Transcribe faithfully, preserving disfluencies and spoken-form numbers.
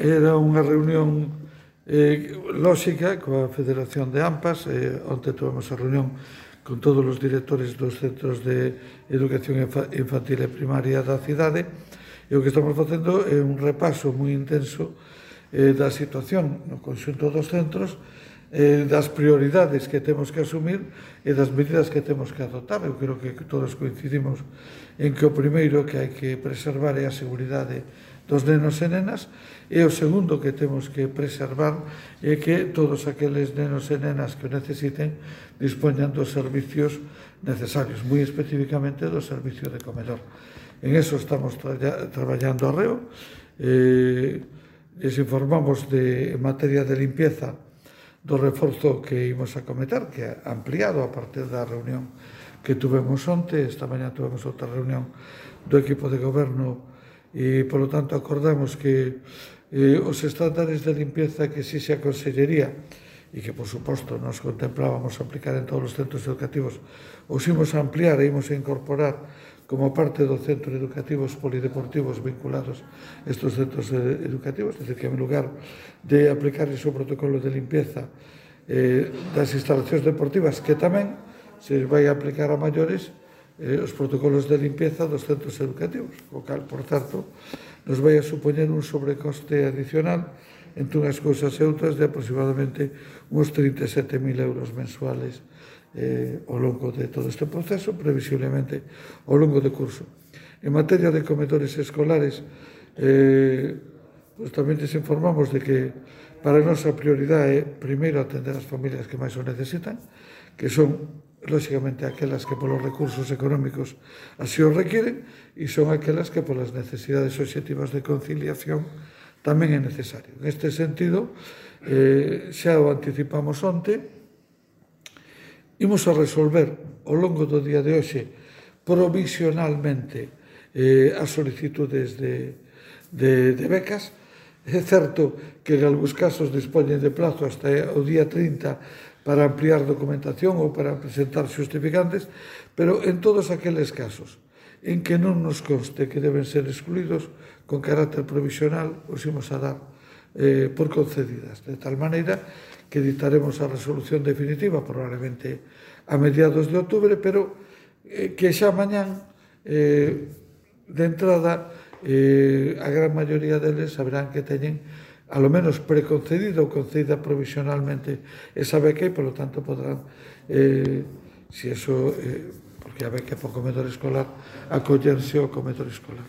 era unha reunión eh, lóxica coa Federación de AMPAs. Eh, onte tuvemos a reunión con todos os directores dos centros de educación infantil e primaria da cidade, e o que estamos facendo é un repaso moi intenso eh, da situación no conxunto dos centros, eh, das prioridades que temos que asumir e das medidas que temos que adoptar. Eu creo que todos coincidimos en que o primeiro que hai que preservar é a seguridade dos nenos e nenas, e o segundo que temos que preservar é que todos aqueles nenos e nenas que o necesiten dispoñan dos servicios necesarios, moi especificamente do servicio de comedor. En eso estamos tra traballando arreo. Eh, les informamos de, en materia de limpieza, do reforzo que imos a cometer, que é ampliado a partir da reunión que tuvemos onte. Esta mañá tuvemos outra reunión do equipo de goberno e, polo tanto, acordamos que eh, os estándares de limpieza que exixe a Consellería e que, por suposto, nos contemplábamos aplicar en todos os centros educativos, os imos a ampliar e imos a incorporar como parte dos centros educativos polideportivos vinculados a estes centros educativos. É dicir, que en lugar de aplicar ese protocolo de limpieza eh, das instalacións deportivas, que tamén se vai a aplicar a maiores, eh, os protocolos de limpieza dos centros educativos, o cal, por certo, nos vai a supoñer un sobrecoste adicional entre unhas cousas e outras de aproximadamente uns trinta e sete mil euros mensuales eh, ao longo de todo este proceso, previsiblemente ao longo do curso. En materia de comedores escolares, eh, pues tamén les informamos de que para a nosa prioridade é primeiro atender as familias que máis o necesitan, que son lóxicamente aquelas que polos recursos económicos así o requieren, e son aquelas que polas necesidades obxectivas de conciliación tamén é necesario. En este sentido, eh, xa o anticipamos onte, imos a resolver ao longo do día de hoxe provisionalmente eh, as solicitudes de, de, de becas. É certo que en algúns casos dispoñen de plazo hasta o día trinta para ampliar documentación ou para presentar justificantes, pero en todos aqueles casos en que non nos conste que deben ser excluídos, con carácter provisional os imos a dar eh, por concedidas, de tal maneira que dictaremos a resolución definitiva probablemente a mediados de outubro, pero eh, que xa mañán eh, de entrada eh, a gran maioría deles saberán que teñen a lo menos preconcedida ou concedida provisionalmente esa beca, e, polo tanto, podrán, eh, si eso, eh, porque a beca é para o comedor escolar, acollerse ao comedor escolar.